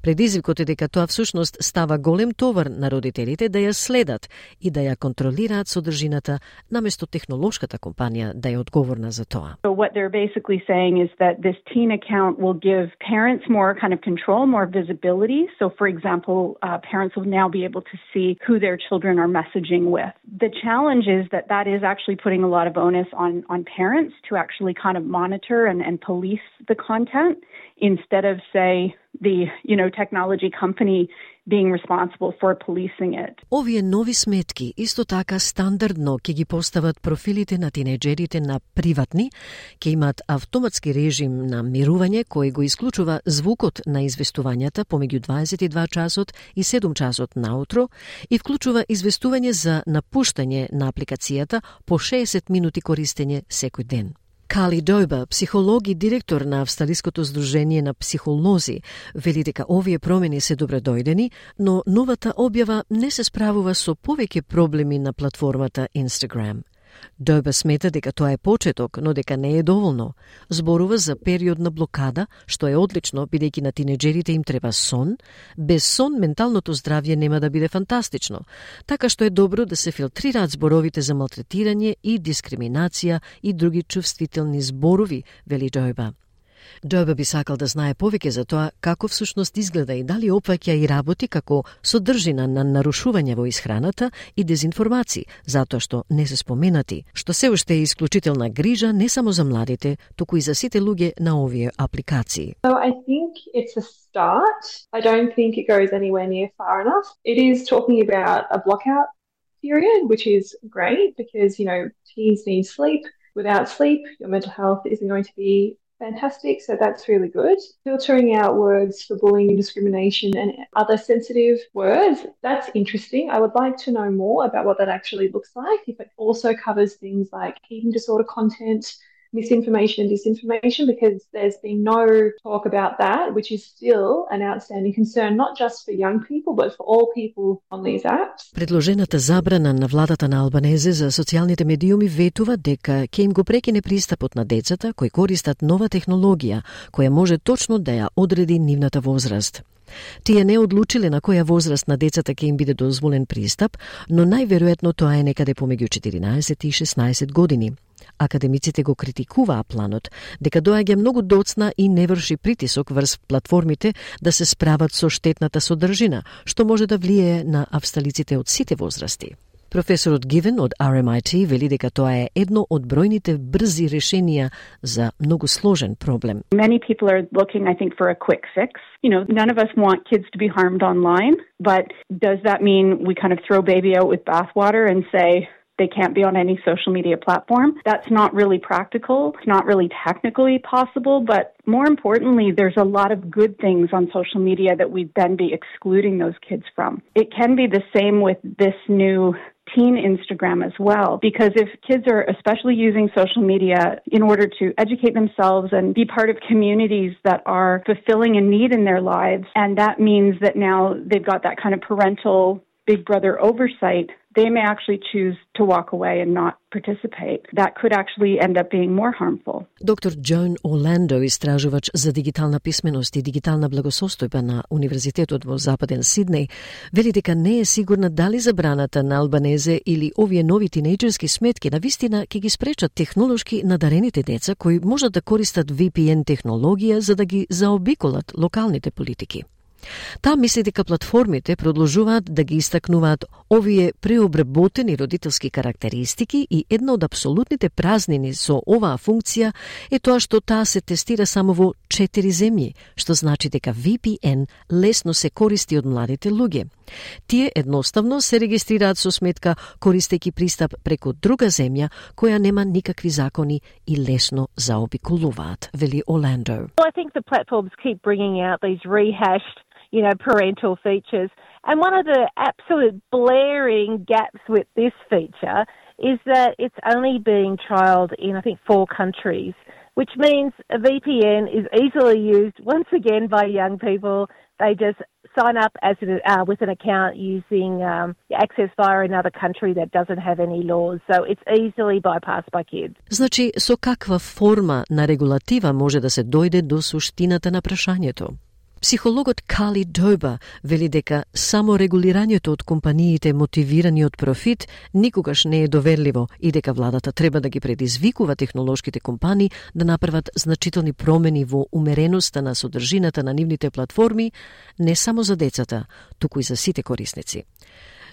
[SPEAKER 3] Предизвикот е дека тоа всушност става голем товар на родителите да ја следат и да ја контролираат содржината наместо технолошката компанија да е одговорна за тоа.
[SPEAKER 22] So what they're basically saying is that this teen account will give parents more
[SPEAKER 2] kind of control, more visibility. So, for example, uh, parents will now be able to see who their children are messaging with. The challenge is that that is actually putting a lot of onus on, on parents to actually kind of monitor and, and police the content instead of, say, the, you know, technology company being responsible for policing it.
[SPEAKER 3] Овие нови сметки исто така стандардно ќе ги постават профилите на тинеџерите на приватни, ќе имаат автоматски режим на мирување кој го исклучува звукот на известувањата помеѓу дваесет и два часот и седум часот наутро и вклучува известување за напуштање на апликацијата по шеесет минути користење секој ден. Кали Дојба, психолог и директор на Австралиското здружение на психолози, вели дека овие промени се добредојдени, но новата објава не се справува со повеќе проблеми на платформата Instagram. Дојба смета дека тоа е почеток, но дека не е доволно. Зборува за период на блокада, што е одлично бидејќи на тинеџерите им треба сон. Без сон менталното здравје нема да биде фантастично, така што е добро да се филтрираат зборовите за малтретирање и дискриминација и други чувствителни зборови, вели Дојба. Дојба би сакал да знае повеќе за тоа како всушност изгледа и дали опфаќа и работи како содржина на нарушување во исхраната и дезинформации, затоа што не се споменати, што се уште е исклучителна грижа не само за младите, туку и за сите луѓе на овие апликации.
[SPEAKER 22] So I think it's a start. I don't think it goes anywhere near far enough. It is talking about a blockout period, which is great because, you know, teens need sleep. Without sleep, your mental health isn't going to be fantastic, so that's really good. Filtering out words for bullying and discrimination and other sensitive words, that's interesting. I would like to know more about what that actually looks like, if it also covers things like eating disorder content, misinformation and disinformation, because there's been no talk about that, which is still an outstanding concern, not just for young people, but for all people on these apps.
[SPEAKER 3] Предложената забрана на владата на Албанезе за социјалните медиуми ветува дека ќе им го прекине пристапот на децата кои користат нова технологија, која може точно да ја одреди нивната возраст. Тие не одлучиле на која возраст на децата ќе им биде дозволен пристап, но најверојатно тоа е некаде помеѓу четиринаесет и шеснаесет години. Академиците го критикуваа планот, дека доаѓа многу доцна и не врши притисок врз платформите да се справат со штетната содржина, што може да влијае на австралиците од сите возрасти. Професорот Гивен од Ар Ем Ай Ти вели дека тоа е едно од бројните брзи решенија за многу сложен проблем.
[SPEAKER 2] Many people are looking, I think, for a quick fix. You know, none of us want kids to be harmed online, but does that mean we kind of throw baby out with bathwater and say they can't be on any social media platform? That's not really practical. It's not really technically possible, but more importantly, there's a lot of good things on social media that we'd then be excluding those kids from. It can be the same with this new teen Instagram as well, because if kids are especially using social media in order to educate themselves and be part of communities that are fulfilling a need in their lives, and that means that now they've got that kind of parental big brother oversight, they may actually choose to walk away and not participate. That could actually end up being more harmful.
[SPEAKER 3] Доктор Джон Оландо, истражувач за дигитална писменост и дигитална благосостојба на Универзитетот во Западен Сиднеј, вели дека не е сигурна дали забраната на Албанезе или овие нови тинејџерски сметки навистина ќе ги спречат технолошки надарените деца кои можат да користат Ви Пи Ен технологија за да ги заобиколат локалните политики. Таа мисли дека платформите продолжуваат да ги истакнуваат овие преобработени родителски карактеристики и една од апсолутните празнини со оваа функција е тоа што таа се тестира само во четири земји, што значи дека Ви Пи Ен лесно се користи од младите луѓе. Тие едноставно се регистрираат со сметка користејќи пристап преку друга земја која нема никакви закони и лесно заобиколуваат, вели Оландо.
[SPEAKER 23] I think the platforms keep bringing out these rehashed, you know, parental features. And one of the absolute blaring gaps with this feature is that it's only being trialled in, I think, four countries, which means a V P N is easily used once again by young people. They just sign up as a, uh, with an account using um, access via another country that doesn't have any laws. So it's easily bypassed by kids.
[SPEAKER 3] Значи, со каква форма на регулатива може да се дојде до суштината на прашањето? Психологот Кали Дойба вели дека само регулирањето од компаниите мотивирани од профит никогаш не е доверливо и дека владата треба да ги предизвикува технолошките компании да направат значителни промени во умереноста на содржината на нивните платформи не само за децата, туку и за сите корисници.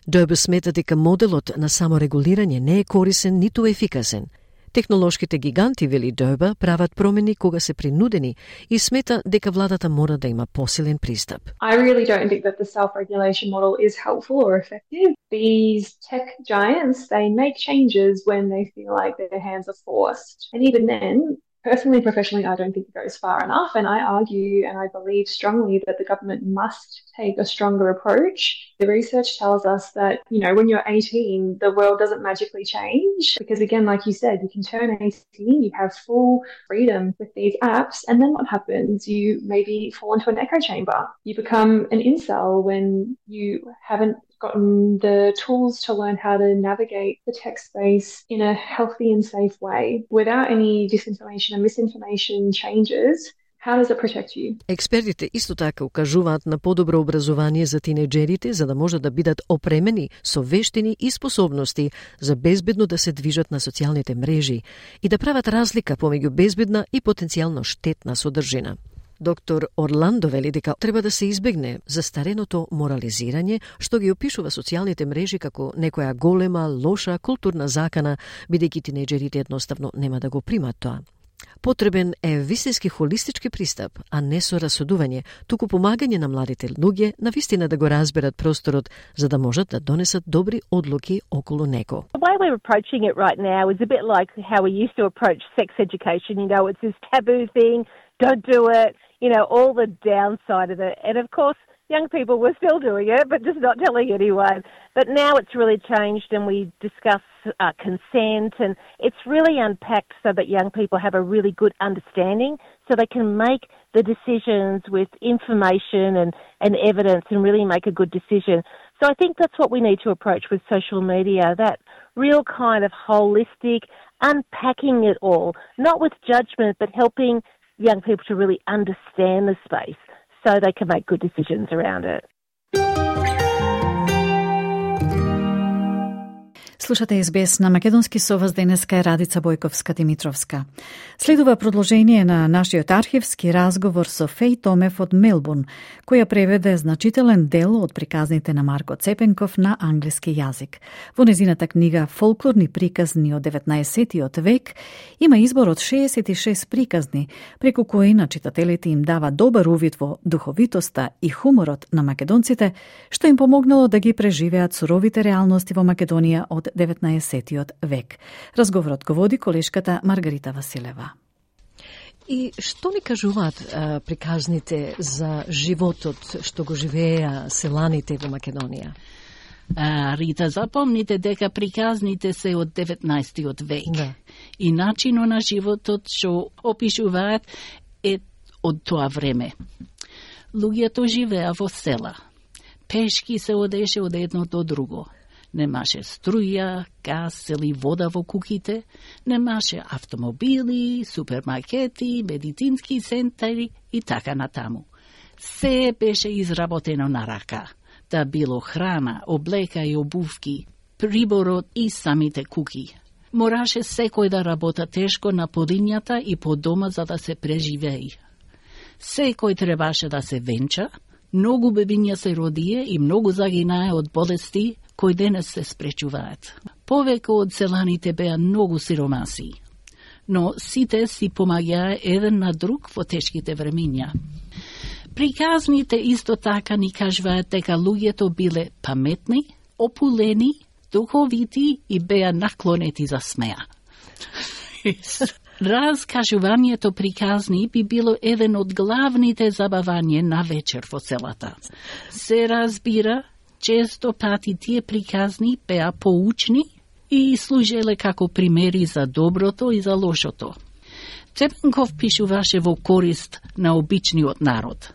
[SPEAKER 3] Дойба смета дека моделот на саморегулирање не е корисен ниту ефикасен. Технолошките гиганти, вели Дойба, прават промени кога се принудени и смета дека владата мора да има посилен пристап.
[SPEAKER 22] I really don't think that the self-regulation model is helpful or effective. These tech giants, they make changes when they feel like their hands are forced. And even then, personally and professionally, I don't think it goes far enough. And I argue and I believe strongly that the government must take a stronger approach. The research tells us that, you know, when you're eighteen, the world doesn't magically change. Because again, like you said, you can turn eighteen, you have full freedom with these apps. And then what happens? You maybe fall into an echo chamber. You become an incel when you haven't gotten the tools to learn how to navigate the tech space in a healthy and safe way. Without any disinformation and misinformation changes, how does it protect you?
[SPEAKER 3] Експертите исто така укажуваат на подобро образование за тинеџерите за да можат да бидат опремени со вештини и способности за безбедно да се движат на социјалните мрежи и да прават разлика помеѓу безбедна и потенцијално штетна содржина. Доктор Орландо вели дека треба да се избегне застареното морализирање што ги опишува социјалните мрежи како некоја голема, лоша културна закана, бидејќи тинеџерите едноставно нема да го примат тоа. Потребен е вистински холистички пристап, а не со расудување, туку помагање на младите луѓе навистина да го разберат просторот за да можат да донесат добри одлуки околу него.
[SPEAKER 23] The way we're approaching it right now is a bit like how we used to approach sex education. You know, it's this taboo thing, don't do it, you know, all the downside of it. And of course, young people were still doing it, but just not telling anyone. But now it's really changed and we discuss uh, consent and it's really unpacked so that young people have a really good understanding so they can make the decisions with information and, and evidence and really make a good decision. So I think that's what we need to approach with social media, that real kind of holistic, unpacking it all, not with judgment, but helping young people to really understand the space so they can make good decisions around it.
[SPEAKER 1] Слушате Ес Би Ес на македонски, со вас денеска е Радица Бојковска-Димитровска. Следува продолжение на нашиот архивски разговор со Феј Томев од Мелбурн, која преведе значителен дел од приказните на Марко Цепенков на англиски јазик. Во незината книга Фолклорни приказни од деветнаесеттиот век има избор од шеесет и шест приказни, преку кои на читателите им дава добар увид во духовитоста и хуморот на македонците, што им помогнало да ги преживеат суровите реалности во Македонија од деветнаесеттиот век. Разговорот го води колешката Маргарита Василева.
[SPEAKER 3] И што ни кажуваат а, приказните за животот што го живееа селаните во Македонија?
[SPEAKER 4] А, Рита, запомните дека приказните се од деветнаесеттиот век. Да. И начинот на животот што опишуваат е од тоа време. Луѓето живеа во села. Пешки се одеше од едно до друго. Немаше струја, газ или вода во куќите, немаше автомобили, супермаркети, медицински центри и така натаму. Се беше изработено на рака, да било храна, облека и обувки, приборот и самите куќи. Мораше секој да работа тешко на полињата и по дома за да се преживеи. Секој требаше да се венча, многу бебиња се родие и многу загинае од болести кои денес се спречуваат. Повеќе од селаните беа многу сиромаси, но сите си помаѓаа еден на друг во тешките времиња. Приказните исто така ни кажуваат дека луѓето биле паметни, опулени, духовити и беа наклонети за смеа. Разкажувањето приказни би било еден од главните забавања на вечер во селата. Се разбира, често пати тие приказни беа поучни и служеле како примери за доброто и за лошото. Цепенков пишуваше во корист на обичниот народ.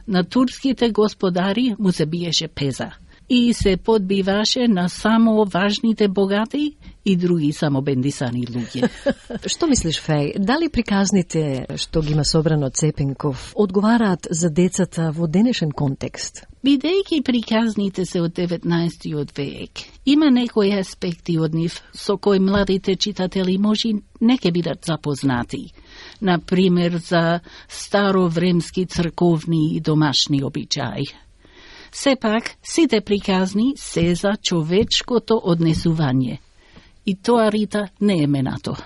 [SPEAKER 4] На турските господари му се биеше пеза и се подбиваше на само важните богати и други само бендисани луѓе.
[SPEAKER 3] Што мислиш, Феј? Дали приказните што ги има собрано Цепенков одговараат за децата во денешен контекст?
[SPEAKER 4] Бидејќи приказните се од деветнаесеттиот век, има некои аспекти од нив со кои младите читатели може не ке бидат запознати. Например, за старовремски црковни и домашни обичаи. Сепак, сите приказни се за човечкото однесување. И тоа, Рита, не е менато.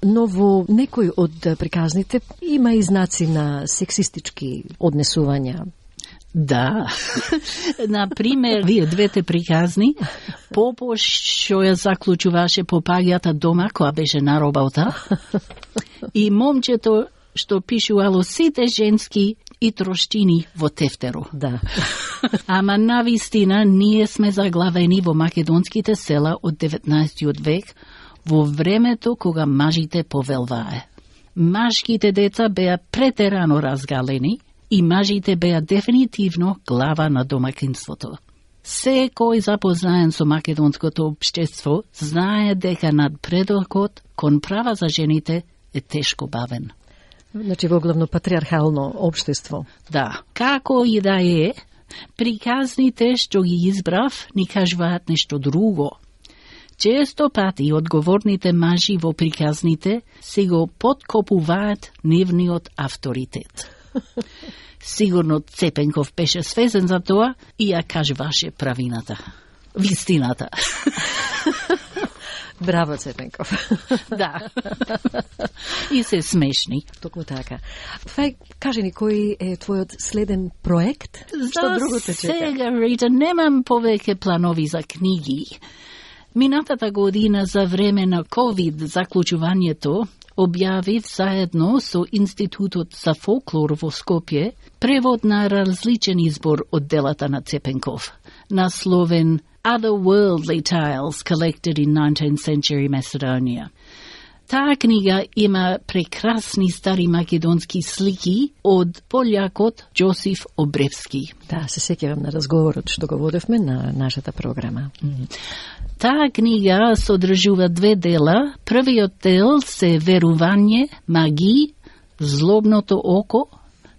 [SPEAKER 3] Но во некои од приказните има и знаци на сексистички однесувања.
[SPEAKER 4] Да. Например, вие двете приказни, Попо што ја заклучуваше попаѓата дома која беше на работа и момчето што пишувало сите женски и трошчини во тефтеру.
[SPEAKER 3] Да.
[SPEAKER 4] Ама навистина ние сме заглавени во македонските села од деветнаесеттиот век, во времето кога мажите повелвае. Машките деца беа претерано разгалени и мажите беа дефинитивно глава на домакинството. Секој запознаен со македонското општество знае дека надпредокот кон права за жените е тешко бавен.
[SPEAKER 3] Значи во главно патриархално општество.
[SPEAKER 4] Да. Како и да е, приказните што ги избрав ни кажуваат нешто друго. Често пати одговорните мажи во приказните си го подкопуваат нивниот авторитет. Сигурно Цепенков беше свесен за тоа и ја кажуваше правината. Вистината.
[SPEAKER 3] Браво, Цепенков.
[SPEAKER 4] Да. И се смешни.
[SPEAKER 3] Токму така. Фај, кажи ни, кој е твојот следен проект? Што друго те чека?
[SPEAKER 4] Сега, Рита, немам повеќе планови за книги. Минатата година за време на ковид заклучувањето објавив заедно со Институтот за фолклор во Скопје превод на различен избор од делата на Цепенков, насловен Otherworldly Tales Collected in nineteenth Century Macedonia. Таа книга има прекрасни стари македонски слики од полјакот Џосиф Обревски.
[SPEAKER 3] Да, се сеќавам на разговорот што го водевме на нашата програма.
[SPEAKER 4] Mm. Таа книга содржува две дела. Првиот дел се верување, маги, злобното око,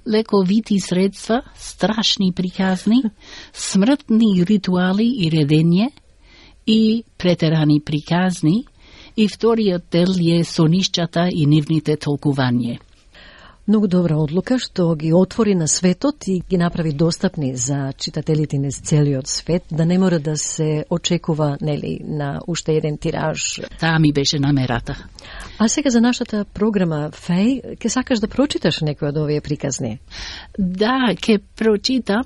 [SPEAKER 4] лековити средства, страшни приказни, смртни ритуали и редење и претерани приказни, и вториот дел е сонишчата и нивните толкување.
[SPEAKER 3] Многу добра одлука што ги отвори на светот и ги направи достапни за читателите низ целиот свет, да не мора да се очекува, нели, на уште еден тираж.
[SPEAKER 4] Таа ми беше намерата.
[SPEAKER 3] А сега за нашата програма, Феј, ке сакаш да прочиташ некој од овие приказни?
[SPEAKER 4] Да, ке прочитам.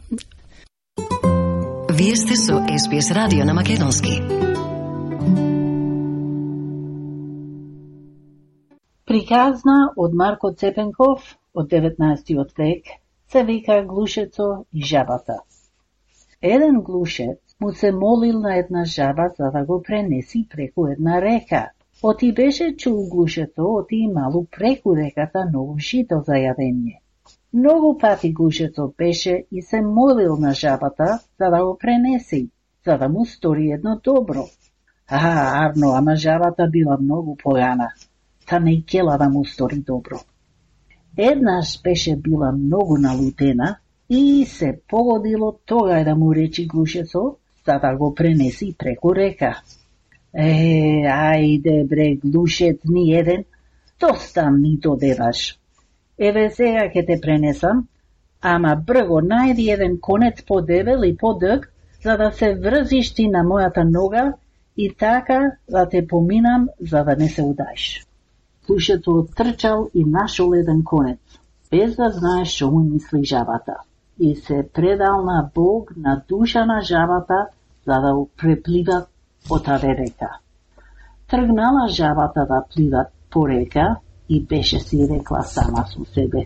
[SPEAKER 3] Вие сте со Ес Би Ес радио на македонски.
[SPEAKER 4] Приказна од Марко Цепенков од деветнаесеттиот век се вика Глушецо и жабата. Еден глушец му се молил на една жаба за да го пренеси преку една река. Оти беше чул глушецо, оти имало преку реката ново жито за јадење. Многу пати глушецо беше и се молил на жабата за да го пренеси, за да му стори едно добро. А, арно, ама жабата била многу погана. Та не кела да му стори добро. Еднаш беше била многу налутена и се погодило тогај да му речи глушецо за да го пренеси преку река. Е, ајде бре, глушец ни еден, доста ми додеваш. Еве сега ќе те пренесам, ама брго најди еден конец подебел и подъг, за да се врзиш ти на мојата нога и така да те поминам за да не се удаиш. Глушецо оттрчал и нашол еден конец, без да знае што му мисли жабата, и се предал на Бог, на душа на жабата, за да го преплива по таа река. Тргнала жабата да плива по река и беше си рекла сама со себе.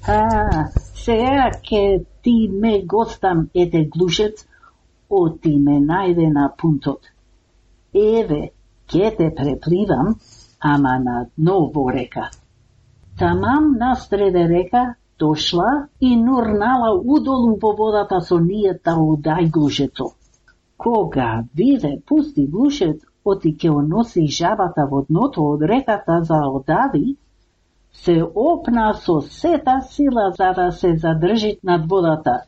[SPEAKER 4] А, сега ке ти ме гостам, ете глушец, оти ме најде на пунтот. Еве, ке те препливам, ама на дно во река. Тамам насреде река дошла и нурнала удолу во водата со нијата удај глушецо.
[SPEAKER 5] Кога виде пусти глушец, оти ќе оноси жабата во дното од реката за одади, се опна со сета сила за да се задржи над водата.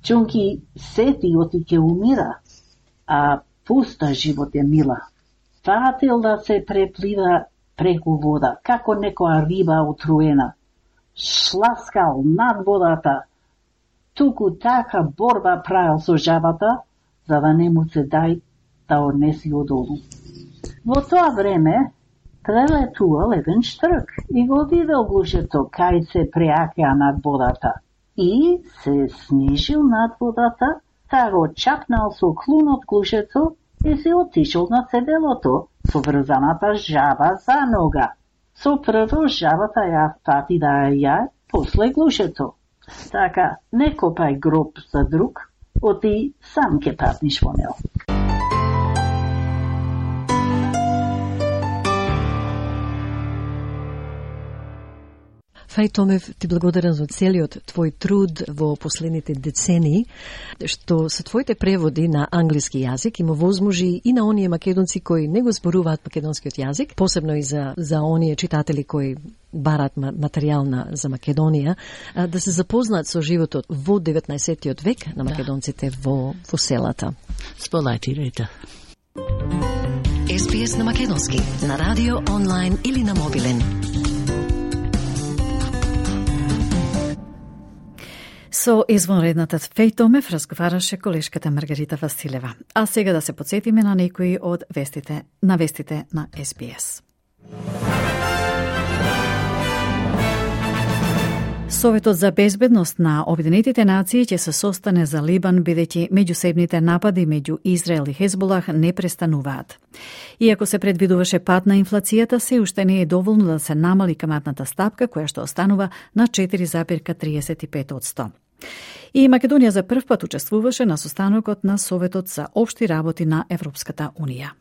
[SPEAKER 5] Чунки сети оти ќе умира, а пуста живот е мила. Фатил да се преплива преку вода, како некоја риба отруена. Шласкал над водата, туку така борба правил со жабата, за да не му се дај да однеси одолу. Во тоа време прелетувал еден штрк и го видел глушецот кај се преакеа над водата и се снижил над водата, та го чапнал со клунот глушецот и се отишол на седелото со врзаната жаба за нога. Со прво жабата ја фати да ја, после глушецот. Така, не копај гроб за друг, оти сам ке патниш во него.
[SPEAKER 3] Фај Томев, ти благодарам за целиот твој труд во последните децении, што со твоите преводи на англиски јазик има возможи и на оние македонци кои не го зборуваат македонскиот јазик, посебно и за, за оние читатели кои барат материјал на, за Македонија, да се запознаат со животот во деветнаесеттиот век на македонците да. во, во селата.
[SPEAKER 4] Сполајтирайте.
[SPEAKER 3] Ес Би Ес на македонски, на радио, онлайн или на мобилен.
[SPEAKER 1] Со извонредната Фај Томев разговараше колешката Маргарита Василева. А сега да се подсетиме на некои од вестите на вестите на Ес Би Ес. Советот за безбедност на Обединетите нации ќе се состане за Либан, бидејќи меѓусебните напади меѓу Израел и Хезболах не престануваат. Иако се предвидуваше пат на инфлацијата, се уште не е доволно да се намали каматната стапка, која што останува на четири зарез триесет и пет одсто. И Македонија за прв пат учествуваше на состанокот на Советот за општи работи на Европската Унија.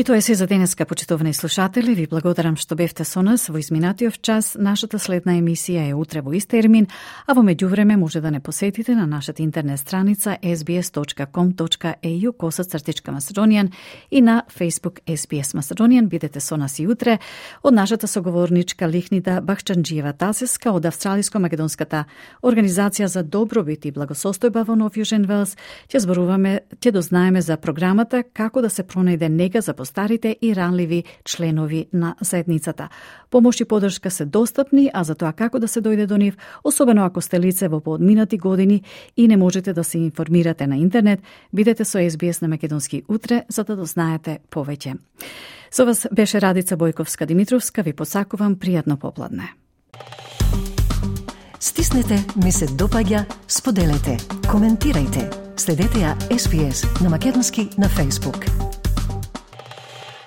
[SPEAKER 1] И тоа е се за денеска, почитувани слушатели. Ви благодарам што бевте со нас во изминатиот час. Нашата следна емисија е утре во ист термин, а во меѓувреме може да не посетите на нашата интернет страница ес би ес точка ком точка е ю косацртичка Macedonian и на Facebook Ес Би Ес Macedonian. Бидете со нас и утре. Од нашата соговорничка Лихнида Бахчанџиева-Тасеска од Австралиско-македонската организација за добробит и благосостојба во Нов Јужен Велс ќе зборуваме, ќе дознаеме за програмата како да се пронајде нега за старите и ранливи членови на заедницата. Помош и подршка се достапни, а за тоа како да се дојде до нив, особено ако сте лице во поодминати години и не можете да се информирате на интернет, бидете со Ес Би Ес на македонски утре за да дознаете повеќе. Со вас беше Радица Бојковска-Димитровска, ви посакувам пријатно попладне.
[SPEAKER 3] Стиснете, ми се допаѓа, споделете, коментирајте. Следете ја Ес Би Ес на македонски на Facebook.